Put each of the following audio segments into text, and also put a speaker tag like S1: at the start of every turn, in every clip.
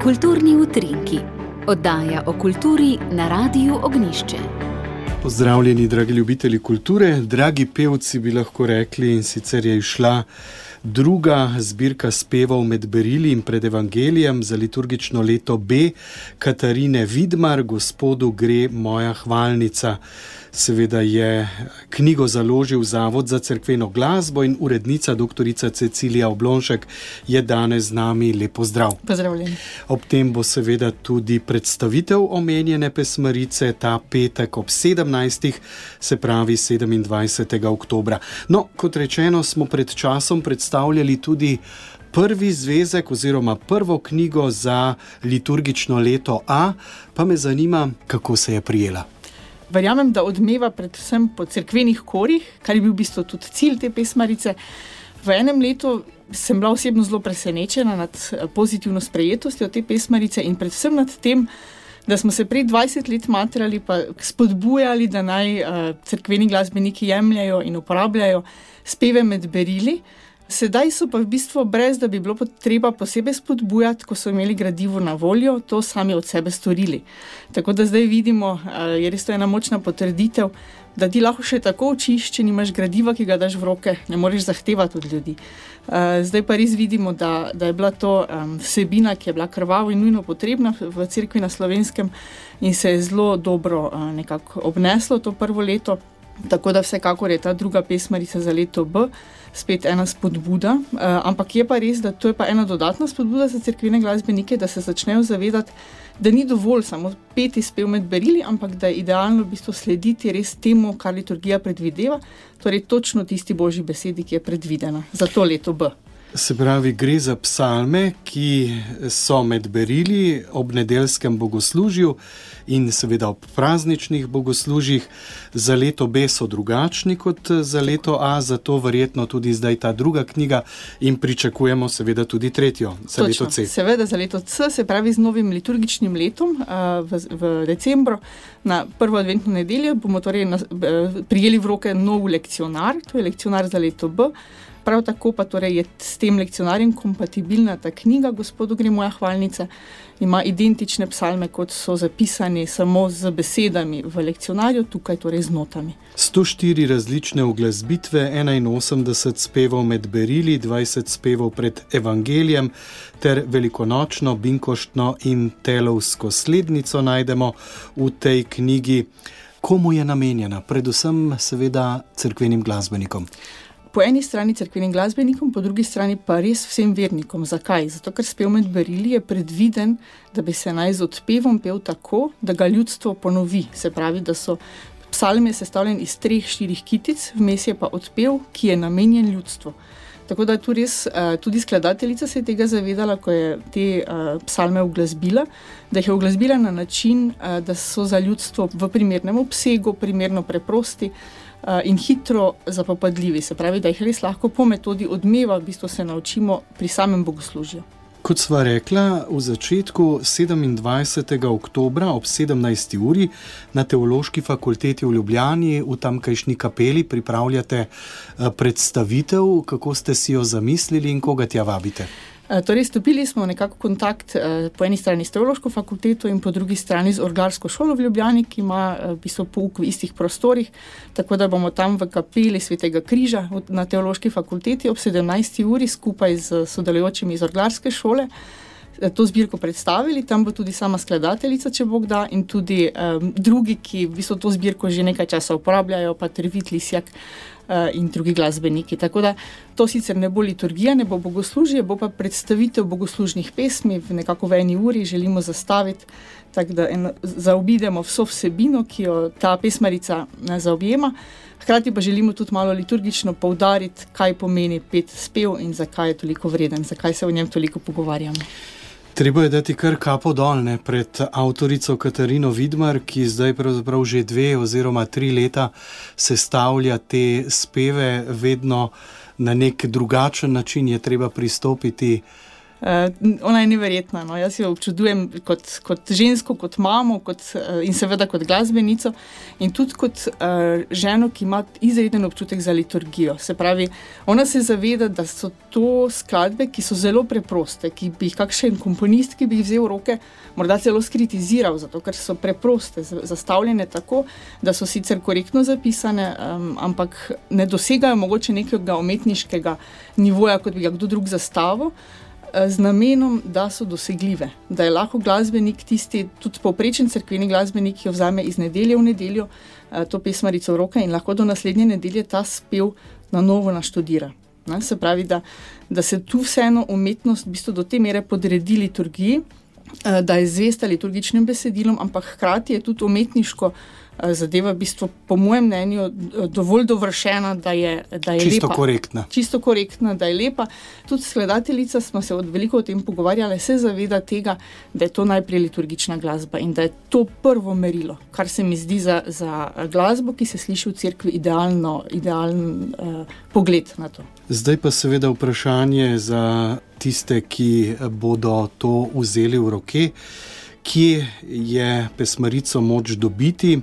S1: Kulturni utrinki. Oddaja o kulturi na Radiu Ognjišče.
S2: Pozdravljeni, dragi ljubitelji kulture, dragi pevci bi lahko rekli, in sicer je išla druga zbirka spevov med berili in pred evangelijem za liturgično leto B Katarine Vidmar, Gospodu gre moja hvalnica. Seveda je knjigo založil Zavod za cerkveno glasbo in urednica doktorica Cecilija Oblonšek je danes z nami. Lep pozdrav.
S3: Pozdravljeni.
S2: Ob tem bo seveda tudi predstavitev omenjene pesmarice ta petek ob 17. se pravi 27. oktobra. No, kot rečeno, smo pred časom predstavljali tudi prvi zvezek oziroma prvo knjigo za liturgično leto A, pa me zanima, kako se je prijela.
S3: Verjamem, da odmeva predvsem po cerkvenih korih, kar je bil v bistvu tudi cilj te pesmarice. V enem letu sem bila osebno zelo presenečena nad pozitivno sprejetostjo te pesmarice in predvsem nad tem, da smo se prej 20 let matrali pa spodbujali, da naj cerkveni glasbeniki jemljajo in uporabljajo speve med berili. Sedaj so pa v bistvu, brez da bi bilo treba posebej spodbujati, ko so imeli gradivo na voljo, to sami od sebe storili. Tako da zdaj vidimo, je res to ena močna potrditev, da ti lahko še tako učiš, če nimaš gradiva, ki ga daš v roke, ne moreš zahtevati od ljudi. Zdaj pa res vidimo, da je bila to vsebina, ki je bila krvavo in nujno potrebna v cerkvi na Slovenskem in se je zelo dobro nekako obneslo to prvo leto. Tako da vsekakor je ta druga pesmarica za leto B spet ena spodbuda, ampak je pa res, da to je pa ena dodatna spodbuda za cerkvene glasbenike, da se začnejo zavedati, da ni dovolj samo peti spev med berili, ampak da je idealno v bistvu slediti res temu, kar liturgija predvideva, torej točno tisti božji besedi, ki je predvidena za to leto B.
S2: Se pravi, gre za psalme, ki so med berili ob nedeljskem bogoslužju in seveda ob prazničnih bogoslužjih. Za leto B so drugačni kot za leto A, zato verjetno tudi zdaj ta druga knjiga in pričakujemo seveda tudi tretjo za leto C.
S3: Seveda za leto C, se pravi z novim liturgičnim letom v decembru na prvo adventno nedeljo bomo torej prijeli v roke nov lekcionar, to je lekcionar za leto B. Prav tako pa torej je s tem lekcionarjem kompatibilna ta knjiga Gospodu gre moja hvalnica, ima identične psalme, kot so zapisani samo z besedami v lekcionarju, tukaj torej z notami.
S2: 104 različne uglasbitve, 81 spevov med berili, 20 spevov pred evangelijem ter velikonočno, binkoštno in telovsko slednico najdemo v tej knjigi. Komu je namenjena? Predvsem seveda cerkvenim glasbenikom.
S3: Po eni strani cerkvenim glasbenikom, po drugi strani pa res vsem vernikom. Zakaj? Zato, ker spev med berili je predviden, da bi se naj z odpevom pel tako, da ga ljudstvo ponovi. Se pravi, da so psalm je sestavljen iz 3-4 kitic, vmes je pa odpev, ki je namenjen ljudstvu. Tako da tu res tudi skladateljica se je tega zavedala, ko je te psalme uglasbila, da jih je uglasbila na način, da so za ljudstvo v primernem obsegu, primerno preprosti, in hitro zapopadljivi, se pravi, da jih res lahko po metodi odmeva v bistvu se naučimo pri samem bogoslužju.
S2: Kot sva rekla, v začetku 27. oktobra ob 17. uri na Teološki fakulteti v Ljubljani v tamkajšnji kapeli pripravljate predstavitev, kako ste si jo zamislili in koga tja vabite?
S3: Torej, stopili smo nekako kontakt po eni strani s Teološko fakulteto in po drugi strani z Orglarsko šolo v Ljubljani, ki ima v bistvu pouk v istih prostorih, tako da bomo tam v kapeli Svetega križa na Teološki fakulteti ob 17. uri skupaj z sodelujočimi iz Orglarske šole to zbirko predstavili. Tam bo tudi sama skladateljica, če Bog da, in tudi drugi, ki v bistvu to zbirko že nekaj časa uporabljajo, pa Tervit Lisjak in drugi glasbeniki. Tako da to sicer ne bo liturgija, ne bo bogoslužje, bo pa predstavitev bogoslužnih pesmi nekako v eni uri želimo zastaviti, tako da zaobidemo vso vsebino, ki jo ta pesmarica zaobjema. Hkrati pa želimo tudi malo liturgično poudariti, kaj pomeni pet spev in zakaj je toliko vreden, zakaj se o njem toliko pogovarjamo.
S2: Treba je dati kar kapo dol pred avtorico Katarino Vidmar, ki zdaj pravzaprav že 2 oziroma 3 leta sestavlja te speve, vedno na nek drugačen način je treba pristopiti
S3: Ona je neverjetna. No. Jaz jo občudujem kot žensko, kot mamo in seveda kot glasbenico in tudi kot ženo, ki ima izreden občutek za liturgijo. Se pravi, ona se zaveda, da so to skladbe, ki so zelo preproste, ki bi jih kakšen komponist, ki bi jih vzel v roke, morda celo skritiziral, zato ker so preproste, zastavljene tako, da so sicer korektno zapisane, ampak ne dosegajo mogoče nekega umetniškega nivoja, kot bi ga kdo drug zastavil, z namenom, da so dosegljive. Da je lahko glasbenik tisti, tudi povprečen cerkveni glasbenik, ki jo vzame iz nedelje v nedeljo, to pesmarico v roke in lahko do naslednje nedelje ta spev na novo naštudira. Se pravi, da se tu vseeno umetnost v bistvu do te mere podredi liturgiji, da je zvesta liturgičnim besedilom, ampak hkrati je tudi umetniško zadeva v bistvu, po mojem mnenju, dovolj dovršena, da je
S2: čisto
S3: lepa.
S2: Korektna.
S3: Čisto korektna, da je lepa. Tudi skladateljica, smo se veliko o tem pogovarjali, se zaveda tega, da je to najprej liturgična glasba in da je to prvo merilo, kar se mi zdi za glasbo, ki se sliši v cerkvi idealen pogled na to.
S2: Zdaj pa seveda vprašanje za tiste, ki bodo to vzeli v roke. Kje je pesmarico moč dobiti,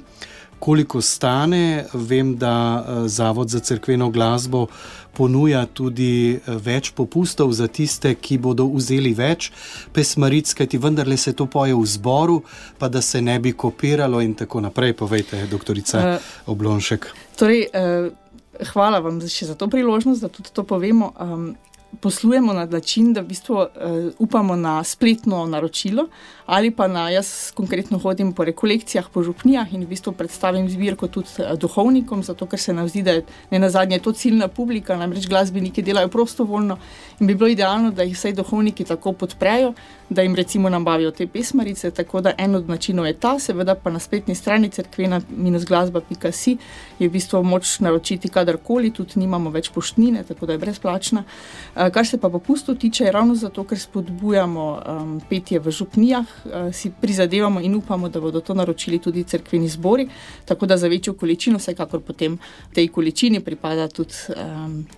S2: koliko stane? Vem, da Zavod za cerkveno glasbo ponuja tudi več popustov za tiste, ki bodo vzeli več pesmaric, kajti vendarle se to poje v zboru, pa da se ne bi kopiralo in tako naprej. Povejte, doktorica Oblonšek.
S3: Torej, hvala vam še za to priložnost, da tudi to povemo. Poslujemo na način, da v bistvu upamo na spletno naročilo ali pa jaz konkretno hodim po rekolekcijah, po župnijah in v bistvu predstavim zbirko tudi duhovnikom, zato ker se nam zdi, da je nenazadnje to ciljna publika, namreč glasbeniki delajo prostovoljno in bi bilo idealno, da jih vsaj duhovniki tako podprejo, da jim recimo nabavijo te pesmarice, tako da en od načinov je ta, seveda pa na spletni strani cerkvena-glasba.si je v bistvu moč naročiti kadarkoli, tudi nimamo več poštnine, tako da je brezplačna. Kar se pa popustov tiče, je ravno zato, ker spodbujamo petje v župnijah, si prizadevamo in upamo, da bodo to naročili tudi cerkveni zbori, tako da za večjo količino vsekakor potem tej količini pripada tudi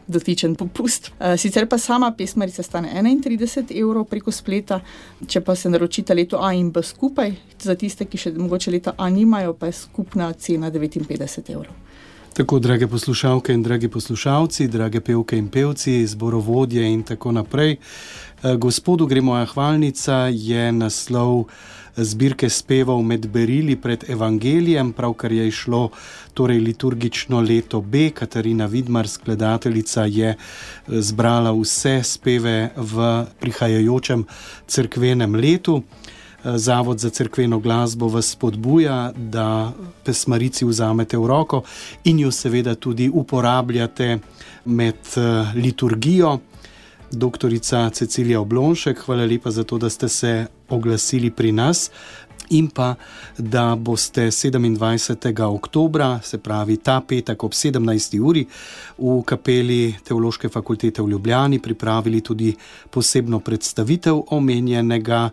S3: dotičen popust. Sicer pa sama pesmarica stane 31 € preko spleta, če pa se naročita leto A in B skupaj, za tiste, ki še mogoče leta A nimajo, pa je skupna cena 59 €.
S2: Tako, drage poslušalke in dragi poslušalci, drage pevke in pevci, zborovodje in tako naprej. Gospodu gre moja hvalnica je naslov zbirke spevov Med berili pred evangelijem, pravkar je išlo torej liturgično leto B. Katarina Vidmar, skladateljica, je zbrala vse speve v prihajajočem cerkvenem letu. Zavod za cerkveno glasbo vas spodbuja, da pesmarici vzamete v roko in jo seveda tudi uporabljate med liturgijo. Doktorica Cecilija Oblonšek, hvala lepa za to, da ste se oglasili pri nas in pa, da boste 27. oktobra, se pravi ta petek ob 17. uri, v kapeli Teološke fakultete v Ljubljani pripravili tudi posebno predstavitev omenjenega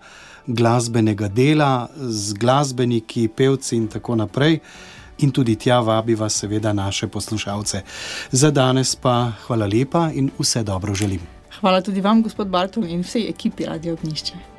S2: glasbenega dela z glasbeniki, pevci in tako naprej. In tudi tja vabiva seveda naše poslušalce. Za danes pa hvala lepa in vse dobro želim.
S3: Hvala tudi vam, gospod Bartol, in vsej ekipi Radio Ognjišče.